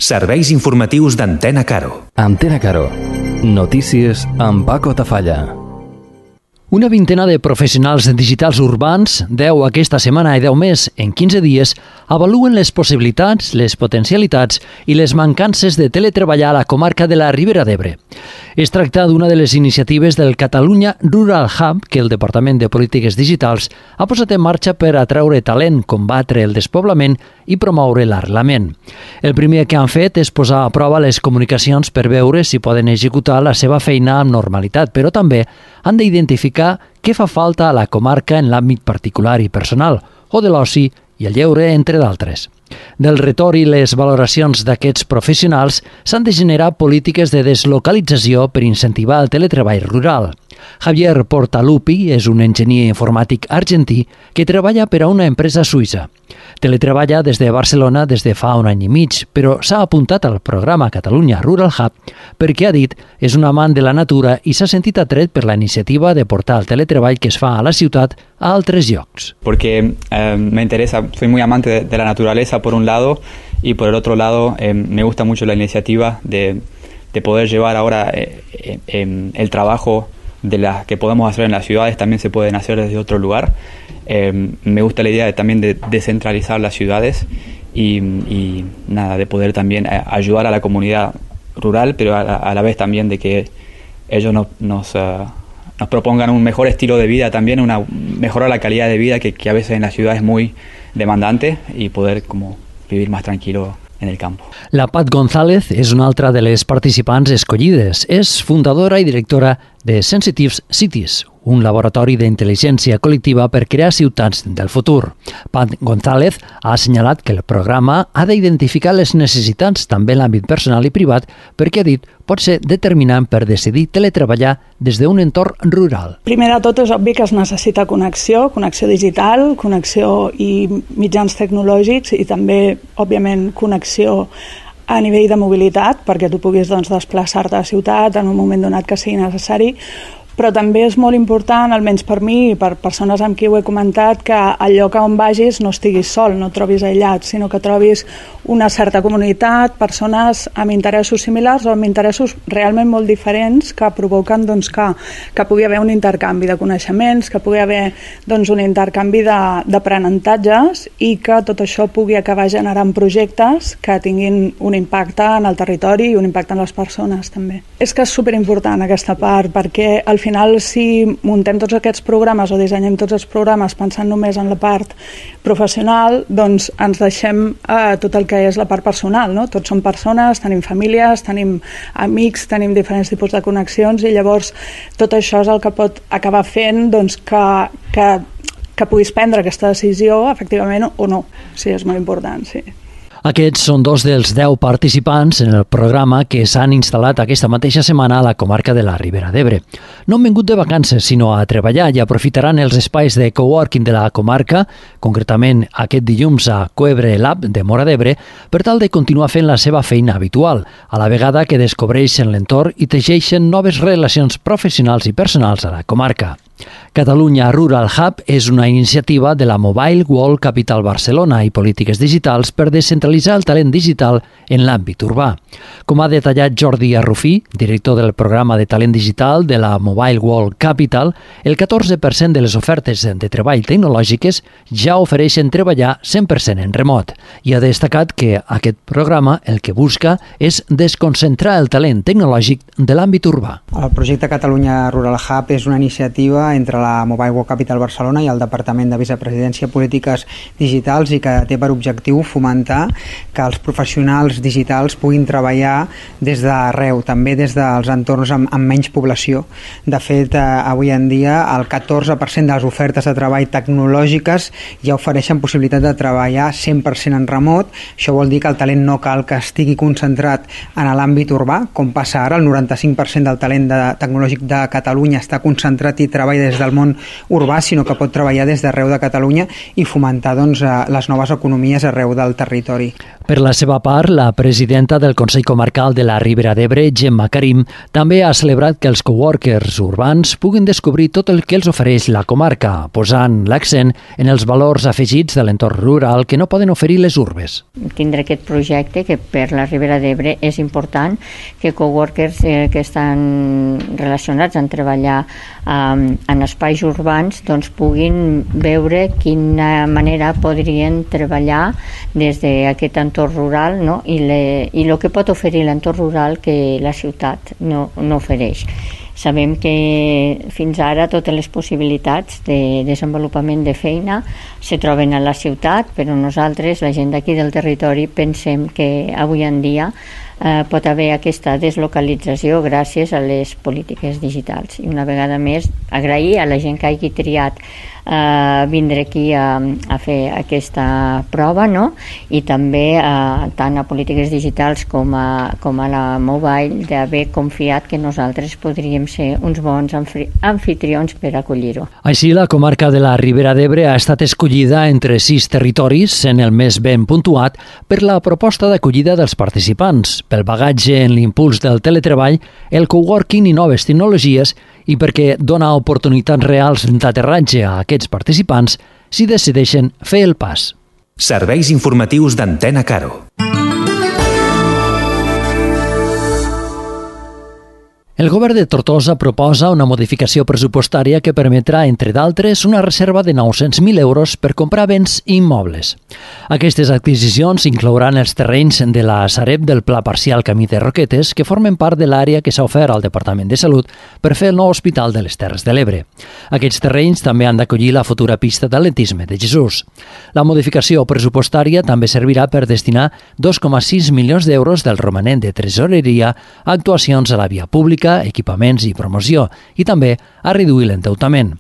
Serveis informatius d'Antena Caro. Antena Caro. Notícies amb Paco Tafalla. Una vintena de professionals digitals urbans, 10 aquesta setmana i 10 més en 15 dies, avaluen les possibilitats, les potencialitats i les mancances de teletreballar a la comarca de la Ribera d'Ebre. Es tracta d'una de les iniciatives del Catalunya Rural Hub que el Departament de Polítiques Digitals ha posat en marxa per atraure talent, combatre el despoblament i promoure l'arrelament. El primer que han fet és posar a prova les comunicacions per veure si poden executar la seva feina amb normalitat, però també han d'identificar què fa falta a la comarca en l'àmbit particular i personal, o de l'oci i el lleure, entre d'altres. Del retorn i les valoracions d'aquests professionals s'han de generar polítiques de deslocalització per incentivar el teletreball rural. Javier Portalupi és un enginyer informàtic argentí que treballa per a una empresa suïssa. Teletreballa des de Barcelona des de fa un any i mig, però s'ha apuntat al programa Catalunya Rural Hub perquè, ha dit, és un amant de la natura i s'ha sentit atret per la iniciativa de portar el teletreball que es fa a la ciutat a altres llocs. Porque me interesa, soy muy amante de la naturaleza por un lado y por el otro lado me gusta mucho la iniciativa de poder llevar ahora el trabajo de las que podemos hacer en las ciudades también se pueden hacer desde otro lugar. Me gusta la idea también de descentralizar las ciudades y de poder también ayudar a la comunidad rural, pero a la vez también de que ellos nos propongan un mejor estilo de vida también, mejorar la calidad de vida que a veces en la ciudad es muy demandante y poder como vivir más tranquilo en el campo. La Pat González és una altra de les participants escollides. És fundadora i directora de Sensitive Cities, un laboratori d'intel·ligència col·lectiva per crear ciutats del futur. Pat González ha assenyalat que el programa ha d'identificar les necessitats també en l'àmbit personal i privat perquè, ha dit, pot ser determinant per decidir teletreballar des d'un entorn rural. Primer de tot és obvi que es necessita connexió digital, connexió i mitjans tecnològics i també, òbviament, connexió a nivell de mobilitat perquè tu puguis desplaçar-te a la ciutat en un moment donat que sigui necessari, però també és molt important, almenys per mi i per persones amb qui ho he comentat, que al lloc on vagis no estiguis sol, no et trobis aïllat, sinó que trobis una certa comunitat, persones amb interessos similars o amb interessos realment molt diferents que provoquen que pugui haver un intercanvi de coneixements, que pugui haver un intercanvi d'aprenentatges i que tot això pugui acabar generant projectes que tinguin un impacte en el territori i un impacte en les persones també. És que és superimportant aquesta part perquè al final si muntem tots aquests programes o dissenyem tots els programes pensant només en la part professional, doncs ens deixem tot el que és la part personal, no? Tots som persones, tenim famílies, tenim amics, tenim diferents tipus de connexions i llavors tot això és el que pot acabar fent que puguis prendre aquesta decisió efectivament o no. Sí, és molt important, sí. Aquests són dos dels 10 participants en el programa que s'han instal·lat aquesta mateixa setmana a la comarca de la Ribera d'Ebre. No han vingut de vacances, sinó a treballar i aprofitaran els espais de coworking de la comarca, concretament aquest dilluns a Coebre Lab de Móra d'Ebre, per tal de continuar fent la seva feina habitual, a la vegada que descobreixen l'entorn i teixeixen noves relacions professionals i personals a la comarca. Catalunya Rural Hub és una iniciativa de la Mobile World Capital Barcelona i Polítiques Digitals per descentralitzar el talent digital en l'àmbit urbà. Com ha detallat Jordi Arrufí, director del programa de talent digital de la Mobile World Capital, el 14% de les ofertes de treball tecnològiques ja ofereixen treballar 100% en remot i ha destacat que aquest programa el que busca és desconcentrar el talent tecnològic de l'àmbit urbà. El projecte Catalunya Rural Hub és una iniciativa entre la Mobile World Capital Barcelona i el Departament de Vicepresidència i Polítiques Digitals i que té per objectiu fomentar que els professionals digitals puguin treballar des d'arreu, també des dels entorns amb menys població. De fet, avui en dia el 14% de les ofertes de treball tecnològiques ja ofereixen possibilitat de treballar 100% en remot. Això vol dir que el talent no cal que estigui concentrat en l'àmbit urbà, com passa ara, el 95% del talent tecnològic de Catalunya està concentrat i treballa des del món urbà, sinó que pot treballar des d'arreu de Catalunya i fomentar les noves economies arreu del territori. Per la seva part, la presidenta del Consell Comarcal de la Ribera d'Ebre, Gemma Karim, també ha celebrat que els coworkers urbans puguin descobrir tot el que els ofereix la comarca, posant l'accent en els valors afegits de l'entorn rural que no poden oferir les urbes. Tindre aquest projecte que per la Ribera d'Ebre és important que coworkers que estan relacionats en treballar en espais urbans doncs puguin veure quina manera podrien treballar des d'aquest entorn rural, no? I el que pot oferir l'entorn rural que la ciutat no ofereix. Sabem que fins ara totes les possibilitats de desenvolupament de feina se troben a la ciutat, però nosaltres, la gent d'aquí del territori, pensem que avui en dia pot haver aquesta deslocalització gràcies a les polítiques digitals. I una vegada més, agrair a la gent que hagi triat vindre aquí a fer aquesta prova, no? I també tant a polítiques digitals com a la mobile d'haver confiat que nosaltres podríem ser uns bons anfitrions per acollir-ho. Així, la comarca de la Ribera d'Ebre ha estat escollida entre 6 territoris, sent el més ben puntuat, per la proposta d'acollida dels participants, pel bagatge en l'impuls del teletreball, el coworking i noves tecnologies, i perquè dona oportunitats reals d'aterratge a aquests participants si decideixen fer el pas. Serveis informatius d'Antena Caro. El govern de Tortosa proposa una modificació pressupostària que permetrà, entre d'altres, una reserva de 900.000 euros per comprar béns immobles. Aquestes adquisicions inclouran els terrenys de la Sareb del Pla Parcial Camí de Roquetes, que formen part de l'àrea que s'ha ofert al Departament de Salut per fer el nou Hospital de les Terres de l'Ebre. Aquests terrenys també han d'acollir la futura pista d'atletisme de Jesús. La modificació pressupostària també servirà per destinar 2,6 milions d'euros del romanent de tresoreria a actuacions a la via pública, equipaments i promoció, i també a reduir l'endeutament.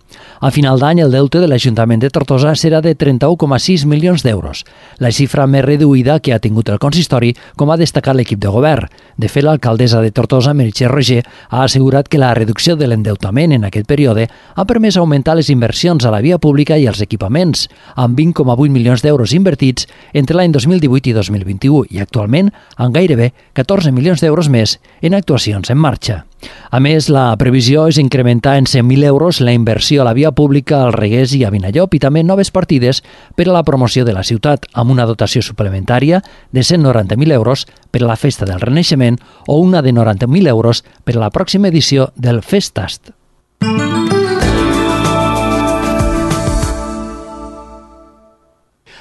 A final d'any, el deute de l'Ajuntament de Tortosa serà de 31,6 milions d'euros, la xifra més reduïda que ha tingut el consistori, com ha destacat l'equip de govern. De fet, l'alcaldessa de Tortosa, Meritxell Roger, ha assegurat que la reducció de l'endeutament en aquest període ha permès augmentar les inversions a la via pública i als equipaments, amb 20,8 milions d'euros invertits entre l'any 2018 i 2021 i actualment amb gairebé 14 milions d'euros més en actuacions en marxa. A més, la previsió és incrementar en 100.000 euros la inversió a la via pública al Regués i a Vinallop i també noves partides per a la promoció de la ciutat, amb una dotació suplementària de 190.000 euros per a la Festa del Renaixement o una de 90.000 euros per a la pròxima edició del Festast.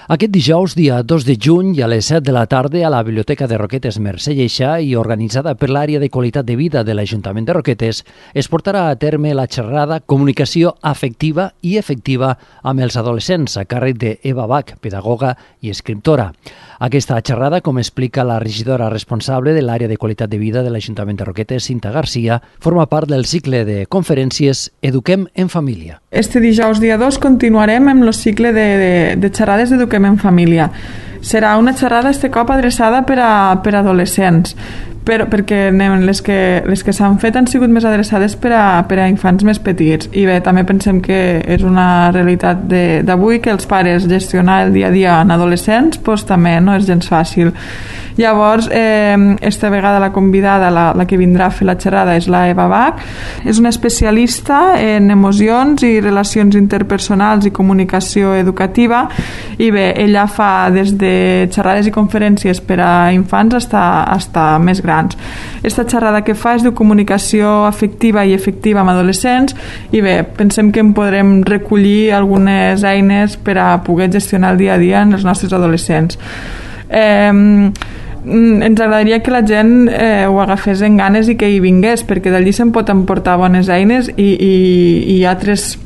Aquest dijous, dia 2 de juny, a les 7 de la tarda, a la Biblioteca de Roquetes Mercè Lleixa i organitzada per l'àrea de qualitat de vida de l'Ajuntament de Roquetes, es portarà a terme la xerrada Comunicació afectiva i efectiva amb els adolescents, a càrrec d'Eva Bach, pedagoga i escriptora. Aquesta xerrada, com explica la regidora responsable de l'àrea de qualitat de vida de l'Ajuntament de Roquetes, Cinta Garcia, forma part del cicle de conferències Eduquem en Família. Este dijous, dia 2, continuarem amb el cicle de xerrades d'Eduquem en Família. Serà una xerrada este cop adreçada per a adolescents, perquè les que s'han fet han sigut més adreçades per a infants més petits. I bé, també pensem que és una realitat d'avui que els pares gestionar el dia a dia en adolescents doncs també no és gens fàcil. Llavors, esta vegada la convidada, la que vindrà a fer la xerrada, és la Eva Bach. És una especialista en emocions i relacions interpersonals i comunicació educativa, i bé, ella fa des de xerrades i conferències per a infants hasta més grans. Esta xerrada que fa és de comunicació afectiva i efectiva amb adolescents, i bé, pensem que en podrem recollir algunes eines per a poder gestionar el dia a dia en els nostres adolescents. Ens agradaria que la gent ho agafés en ganes i que hi vingués, perquè d'allí se'n pot emportar bones eines i altres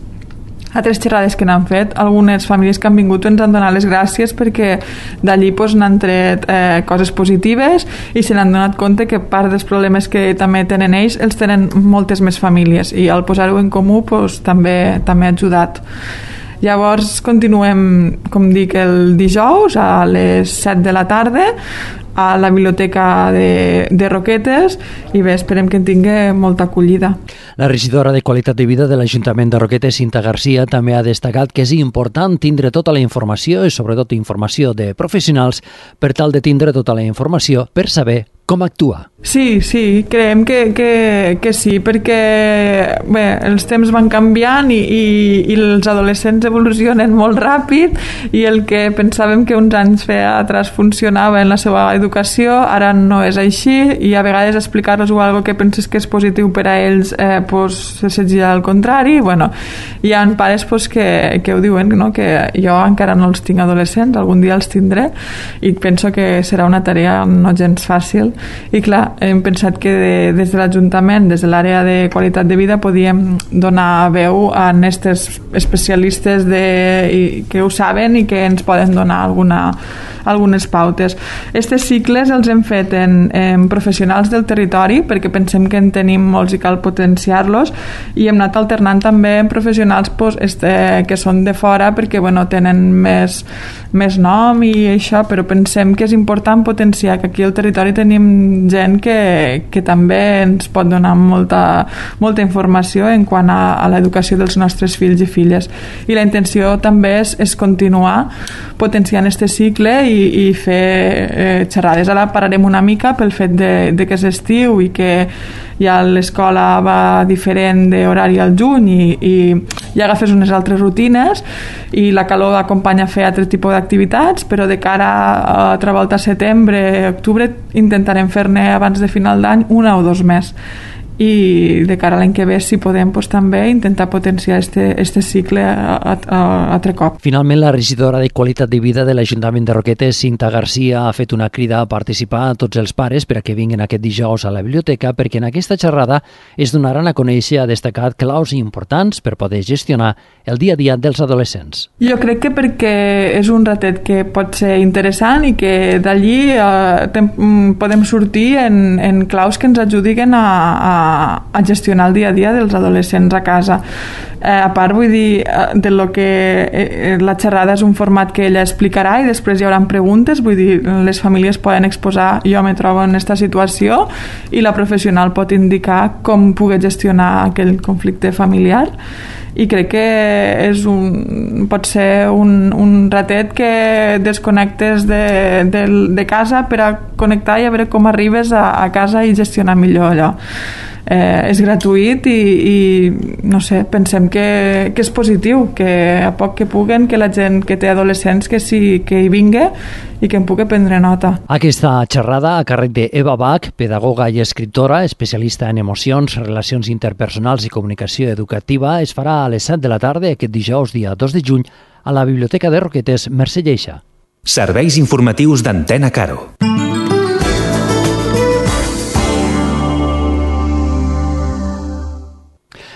xerrades que n'han fet. Algunes famílies que han vingut ens han donat les gràcies perquè d'allí n'han tret coses positives i se n'han donat compte que part dels problemes que també tenen ells els tenen moltes més famílies, i al posar-ho en comú també ha ajudat. Llavors continuem, com dic, el dijous a les 7 de la tarda a la biblioteca de Roquetes i bé, esperem que en tingui molta acollida. La regidora de Qualitat de Vida de l'Ajuntament de Roquetes, Cinta Garcia, també ha destacat que és important tindre tota la informació i sobretot informació de professionals per tal de tindre tota la informació per saber com actuar. Sí, creiem que sí, perquè bé, els temps van canviant i els adolescents evolucionen molt ràpid i el que pensàvem que uns anys atrás funcionava en la seva educació, ara no és així i a vegades explicar-los algo que penses que és positiu per a ells se segia al contrari. Bueno, hi ha pares que ho diuen, no? Que jo encara no els tinc adolescents, algun dia els tindré i penso que serà una tarea no gens fàcil. I clar, hem pensat que des de l'Ajuntament, des de l'àrea de qualitat de vida, podíem donar veu a aquests especialistes que ho saben i que ens poden donar algunes pautes. Aquests cicles els hem fet en professionals del territori perquè pensem que en tenim molts i cal potenciar-los i hem anat alternant també en professionals que són de fora perquè tenen més nom i això, però pensem que és important potenciar que aquí al territori tenim gent que també ens pot donar molta informació en quant a l'educació dels nostres fills i filles. I la intenció també és continuar potenciant aquest cicle i fer xerrades. Ara pararem una mica pel fet de que és estiu i que ja l'escola va diferent d'horari al juny i ja agafes unes altres rutines i la calor acompanya a fer altre tipus d'activitats, però de cara a altra volta a setembre, octubre intentarem fer-ne abans de final d'any una o dos més i de cara a l'any que ve, si podem, també intentar potenciar este cicle altre cop. Finalment, la regidora de Qualitat de Vida de l'Ajuntament de Roquetes, Cinta Garcia, ha fet una crida a participar a tots els pares per a que vinguin aquest dijous a la biblioteca perquè en aquesta xerrada es donaran a conèixer, ha destacat, claus importants per poder gestionar el dia a dia dels adolescents. Jo crec que perquè és un ratet que pot ser interessant i que d'allí podem sortir en claus que ens ajudin a gestionar el dia a dia dels adolescents a casa. A part, vull dir, de lo que la xerrada és un format que ella explicarà i després hi haurà preguntes, vull dir, les famílies poden exposar jo me trobo en aquesta situació i la professional pot indicar com pugui gestionar aquell conflicte familiar i crec que pot ser un ratet que desconnectes de casa per a connectar i a veure com arribes a casa i gestionar millor allò. És gratuït i no sé, pensem que és positiu, que a poc que puguen, que la gent que té adolescents que hi vingui i que en pugui prendre nota. Aquesta xerrada a càrrec d'Eva Bach, pedagoga i escriptora, especialista en emocions, relacions interpersonals i comunicació educativa, es farà a les 7 de la tarda aquest dijous, dia 2 de juny, a la Biblioteca de Roquetes, Mercè Lleixa. Serveis informatius d'Antena Caro.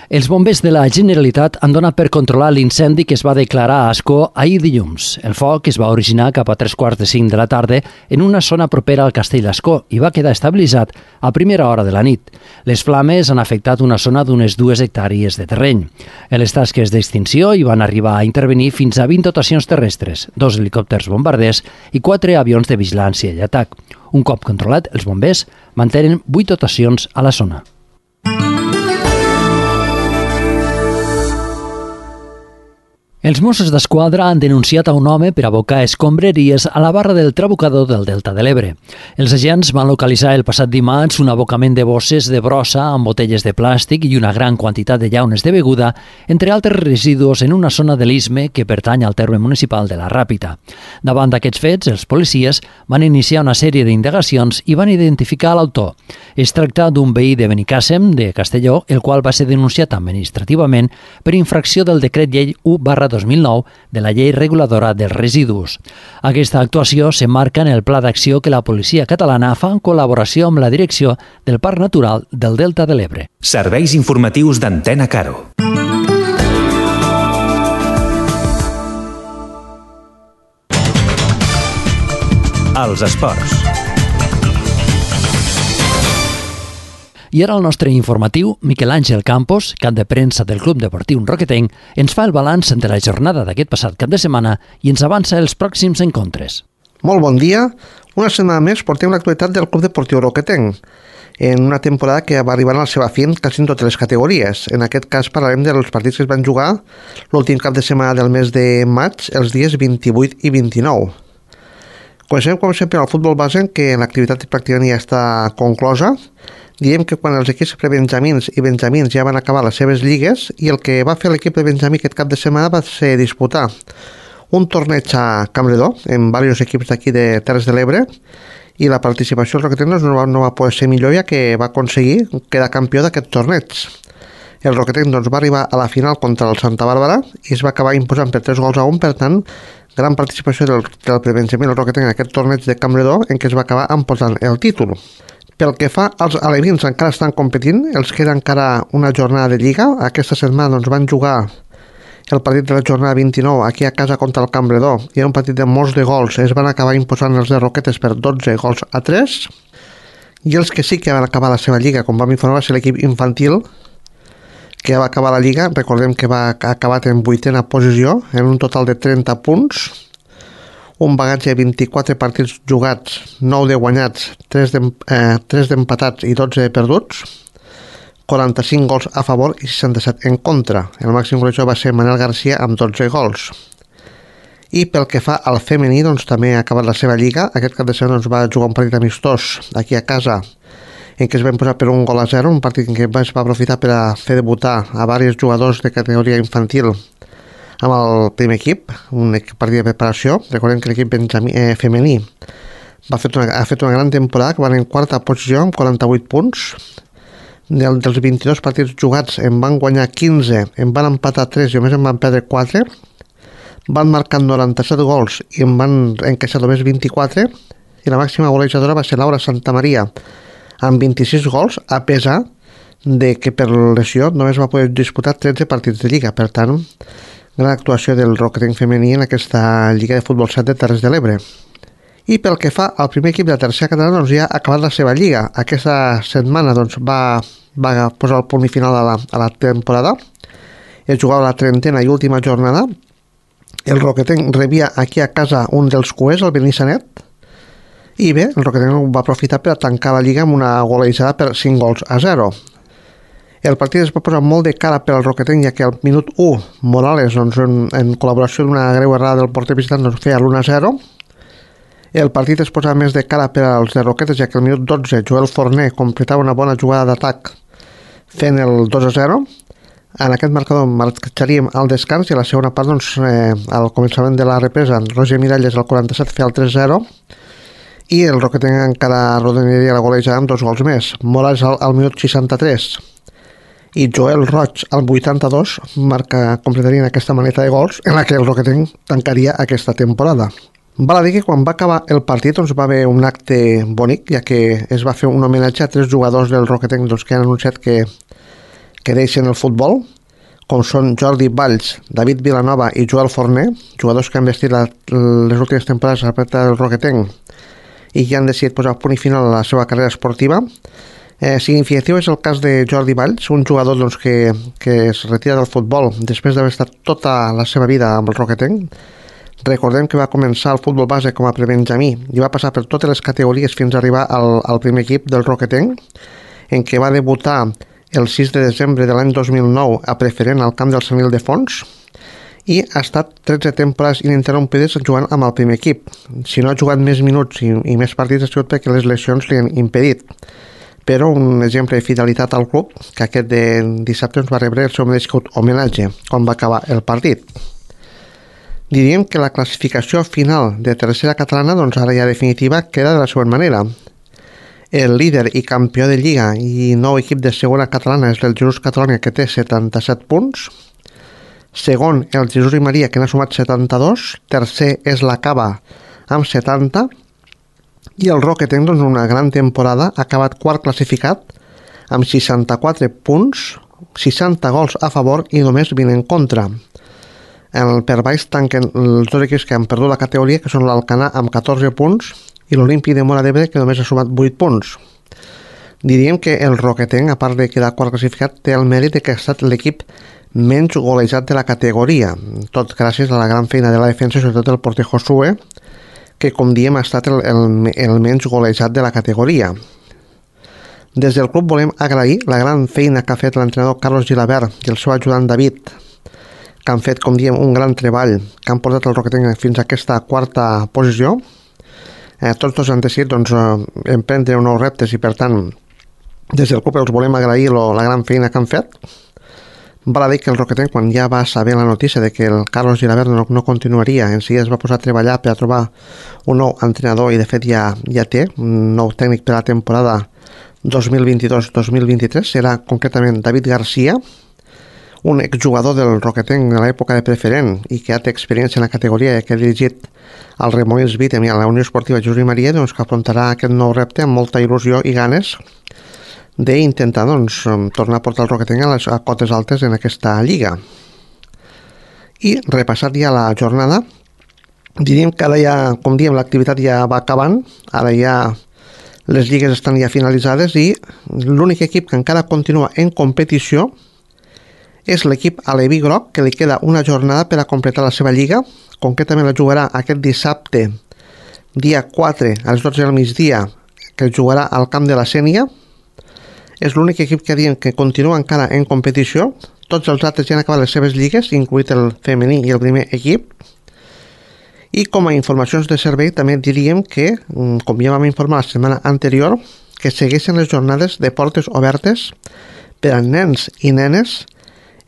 Els bombers de la Generalitat han donat per controlar l'incendi que es va declarar a Ascó ahir dilluns. El foc es va originar cap a 3:45 de la tarda en una zona propera al Castell d'Ascó i va quedar estabilitzat a primera hora de la nit. Les flames han afectat una zona d'unes 2 hectàrees de terreny. En les tasques d'extinció hi van arribar a intervenir fins a 20 dotacions terrestres, 2 helicòpters bombarders i 4 avions de vigilància i atac. Un cop controlat, els bombers mantenen 8 dotacions a la zona. Els Mossos d'Esquadra han denunciat a un home per abocar escombraries a la barra del Trabucador del Delta de l'Ebre. Els agents van localitzar el passat dimarts un abocament de bosses de brossa amb botelles de plàstic i una gran quantitat de llaunes de beguda, entre altres residus en una zona de l'Istme que pertany al terme municipal de la Ràpita. Davant d'aquests fets, els policies van iniciar una sèrie d'indagacions i van identificar l'autor. Es tracta d'un veí de Benicàssim, de Castelló, el qual va ser denunciat administrativament per infracció del decret llei 1/2009 de la llei reguladora dels residus. Aquesta actuació s'emmarca en el pla d'acció que la policia catalana fa en col·laboració amb la direcció del Parc Natural del Delta de l'Ebre. Serveis informatius d'Antena Caro. Els esports. I ara el nostre informatiu, Miquel Àngel Campos, cap de premsa del Club Deportiu Roquetenc, ens fa el balanç de la jornada d'aquest passat cap de setmana i ens avança els pròxims encontres. Molt bon dia. Una setmana més portem l'actualitat del Club Deportiu Roquetenc, en una temporada que va arribar a la seva fi quasi en totes les categories. En aquest cas parlarem dels partits que es van jugar l'últim cap de setmana del mes de maig, els dies 28 i 29. Comencem, com sempre, al futbol base, que l'activitat pràcticament ja està conclosa. Diem que quan els equips prebenjamins i benjamins ja van acabar les seves lligues, i el que va fer l'equip de benjamí aquest cap de setmana va ser disputar un torneig a Campredó, amb diversos equips d'aquí de Terres de l'Ebre, i la participació del Roquetenc no va poder ser millor, ja que va aconseguir quedar campió d'aquest torneig. El Roquetenc va arribar a la final contra el Santa Bàrbara i es va acabar imposant per 3-1, per tant, gran participació del prebenjamí del Roquetenc en aquest torneig de Campredó, en què es va acabar imposant el títol. Pel que fa als alevins, encara estan competint, els queda encara una jornada de lliga. Aquesta setmana van jugar el partit de la jornada 29 aquí a casa contra el Campredó, i era un partit de molts de gols. Es van acabar imposant els de Roquetes per 12-3, i els que sí que van acabar la seva lliga, com vam informar, va ser l'equip infantil, que va acabar la lliga. Recordem que va acabar en 8a posició, en un total de 30 punts, un bagatge de 24 partits jugats, 9 de guanyats, 3 d'empatats i 12 de perduts, 45 gols a favor i 67 en contra. El màxim golejador va ser Manel Garcia amb 12 gols. I pel que fa al femení, també ha acabat la seva lliga. Aquest cap de setmana va jugar un partit amistós aquí a casa, en què es va imposar per 1-0, un partit en què es va aprofitar per a fer debutar a diversos jugadors de categoria infantil amb el primer equip, un partit de preparació. Recordem que l'equip femení ha fet una gran temporada, que van en quarta posició amb 48 punts. Dels 22 partits jugats en van guanyar 15, en van empatar 3 i només en van perdre 4, van marcar 97 gols i en van encaixar només 24, i la màxima golejadora va ser Laura Santamaria amb 26 gols, a pesar de que per lesió només va poder disputar 13 partits de lliga. Per tant, gran actuació del Roquetenc femení en aquesta Lliga de Futbol 7 de Terres de l'Ebre. I pel que fa al primer equip de la tercera catalana, ja ha acabat la seva lliga. Aquesta setmana va posar el punt i final a la temporada. Es jugava la 30a i última jornada. El Roquetenc rebia aquí a casa un dels cuers, el Benissanet, i bé, el Roquetenc va aprofitar per a tancar la lliga amb una golejada per 5-0. El partit es va posar molt de cara per al Roquetenc, ja que al minut 1 Morales, en col·laboració d'una greu errada del porter visitant, feia l'1-0. El partit es posava més de cara per als de Roquetes, ja que al minut 12 Joel Forner completava una bona jugada d'atac fent el 2-0. En aquest marcador marxaríem al descans, i a la segona part, al començament de la represa, Roger Miralles al 47 feia el 3-0, i el Roquetenc encara rodonaria la golejada amb 2 gols més. Morales al minut 63 i Joel Roig al 82 completarien aquesta maneta de gols en la que el Roquetenc tancaria aquesta temporada. Val a dir que quan va acabar el partit va haver un acte bonic, ja que es va fer un homenatge a 3 jugadors del Roquetenc que han anunciat que deixen el futbol, com són Jordi Valls, David Vilanova i Joel Forner, jugadors que han vestit les últimes temporades a la plata del Roquetenc i que han decidit posar punt i final a la seva carrera esportiva. Significatiu és el cas de Jordi Valls, un jugador que es retira del futbol després d'haver estat tota la seva vida amb el Roquetenc. Recordem que va començar el futbol base com a prebenjamí i va passar per totes les categories fins a arribar al primer equip del Roquetenc, en què va debutar el 6 de desembre de l'any 2009 a preferent al camp del Sant Ildefons, i ha estat 13 temporades ininterrompides jugant amb el primer equip. Si no ha jugat més minuts i més partits ha sigut perquè les lesions li han impedit. Però un exemple de fidelitat al club, que aquest dissabte va rebre el seu merescut homenatge quan va acabar el partit. Diríem que la classificació final de tercera catalana, ara ja definitiva, queda de la següent manera. El líder i campió de Lliga i nou equip de segona catalana és el Jesús Catalunya, que té 77 punts. Segon, el Jesús i Maria, que n'ha sumat 72. Tercer és la Cava, amb 70. I el Roquetenc, una gran temporada, ha acabat quart classificat amb 64 punts, 60 gols a favor i només 20 en contra. Per baix tanquen els dos equips que han perdut la categoria, que són l'Alcanar amb 14 punts i l'Olímpic de Móra d'Ebre, que només ha sumat 8 punts. Diríem que el Roquetenc, a part de quedar quart classificat, té el mèrit de que ha estat l'equip menys golejat de la categoria, tot gràcies a la gran feina de la defensa, sobretot el porter Josué, que, com diem, ha estat el menys golejat de la categoria. Des del club volem agrair la gran feina que ha fet l'entrenador Carlos Gilabert i el seu ajudant David, que han fet, com diem, un gran treball, que han portat el Roquetenc fins a aquesta quarta posició. Tots dos han decidit emprendre nous reptes i, per tant, des del club els volem agrair la gran feina que han fet. Val a dir que el Roquetenc, quan ja va saber la notícia de que el Carlos Gilabert no continuaria, en seguida es va posar a treballar per a trobar un nou entrenador i de fet ja té un nou tècnic per a la temporada 2022-2023. Serà concretament David Garcia, un exjugador del Roquetenc de l'època de preferent i que ja té experiència en la categoria i que ha dirigit al Remolins Vítem i a la Unió Esportiva Josep Maria, que afrontarà aquest nou repte amb molta il·lusió i ganes d'intentar tornar a portar el Roquetenc a cotes altes en aquesta lliga. I repassat ja la jornada, diríem que ara ja, com diem, l'activitat ja va acabant, ara ja les lligues estan ja finalitzades i l'únic equip que encara continua en competició és l'equip aleví groc, que li queda una jornada per a completar la seva lliga. Concretament la jugarà aquest dissabte, dia 4, a les 12 del migdia, que jugarà al camp de la Sénia. És l'únic equip que diem que continua encara en competició. Tots els altres ja han acabat les seves lligues, incluït el femení i el primer equip. I com a informacions de servei també diríem que, com ja vam informar la setmana anterior, que segueixen les jornades de portes obertes per a nens i nenes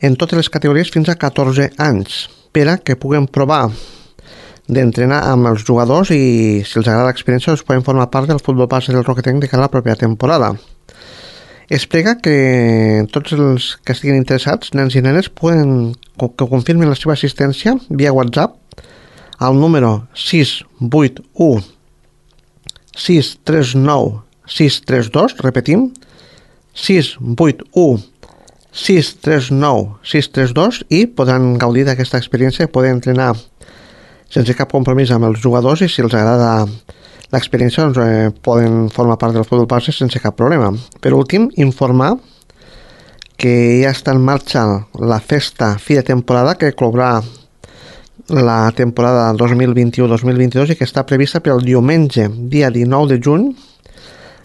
en totes les categories fins a 14 anys, per a que puguen provar d'entrenar amb els jugadors i, si els agrada l'experiència, els poden formar part del futbol base del Roquetenc de cara a la propera temporada. Es prega que tots els que estiguin interessats, nens i nenes, poden que confirmin la seva assistència via WhatsApp al número 681 639 632, repetim, 681 639 632, i podran gaudir d'aquesta experiència, poder entrenar sense cap compromís amb els jugadors i, si els agrada l'experiència, poden formar part del futbol base sense cap problema. Per últim, informar que ja està en marxa la festa fi de temporada que clourà la temporada 2021-2022 i que està prevista per el diumenge, dia 19 de juny,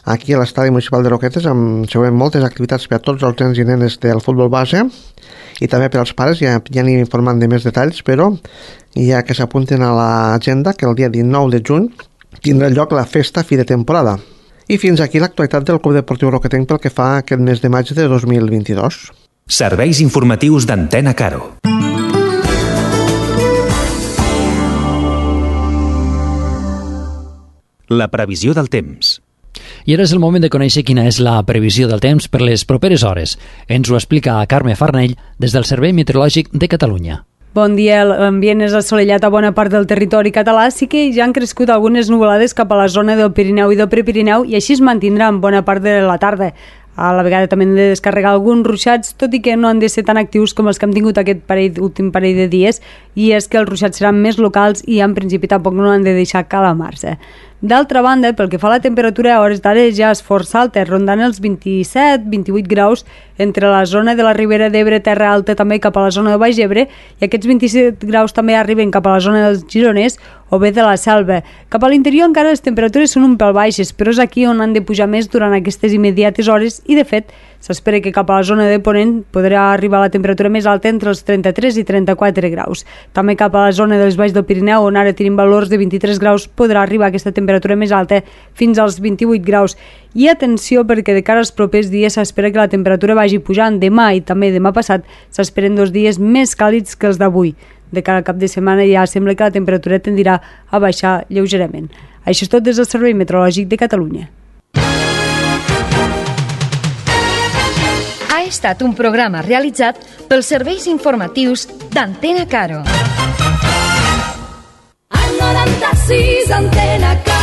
aquí a l'estadi municipal de Roquetes, amb segurament moltes activitats per a tots els nens i nenes del futbol base i també per als pares. Ja anem informant de més detalls, però ja que s'apunten a l'agenda que el dia 19 de juny tindrà lloc la festa fi de temporada. I fins aquí l'actualitat del Club Deportiu Roquetenc pel que fa a aquest mes de maig de 2022. Serveis informatius d'Antena Caro. La previsió del temps. I ara és el moment de conèixer quina és la previsió del temps per les properes hores. Ens ho explica Carme Farnell des del Servei Meteorològic de Catalunya. Bon dia, l'ambient és assolellat a bona part del territori català, sí que ja han crescut algunes nuvolades cap a la zona del Pirineu i del Prepirineu i així es mantindran bona part de la tarda. A la vegada també hem de descarregar alguns ruixats, tot i que no han de ser tan actius com els que hem tingut aquest últim parell de dies, i és que els ruixats seran més locals i en principi tampoc no han de deixar calamar-se. D'altra banda, pel que fa a la temperatura, a hores d'ara ja és força alta, rondant els 27-28 graus entre la zona de la Ribera d'Ebre, Terra Alta, també cap a la zona de Baix Ebre, i aquests 27 graus també arriben cap a la zona dels Gironès o bé de la Selva. Cap a l'interior encara les temperatures són un pèl baixes, però és aquí on han de pujar més durant aquestes immediates hores i, de fet, s'espera que cap a la zona de Ponent podrà arribar la temperatura més alta entre els 33 i 34 graus. També cap a la zona dels Baix del Pirineu, on ara tenim valors de 23 graus, podrà arribar aquesta temperatura més alta fins als 28 graus. I atenció, perquè de cara als propers dies s'espera que la temperatura vagi pujant. Demà i també demà passat s'esperen 2 dies més càlids que els d'avui. De cara al cap de setmana ja sembla que la temperatura tendirà a baixar lleugerament. Això és tot des del Servei Meteorològic de Catalunya. Ha estat un programa realitzat pels serveis informatius d'Antena Caro. Al 96 Antena Caro.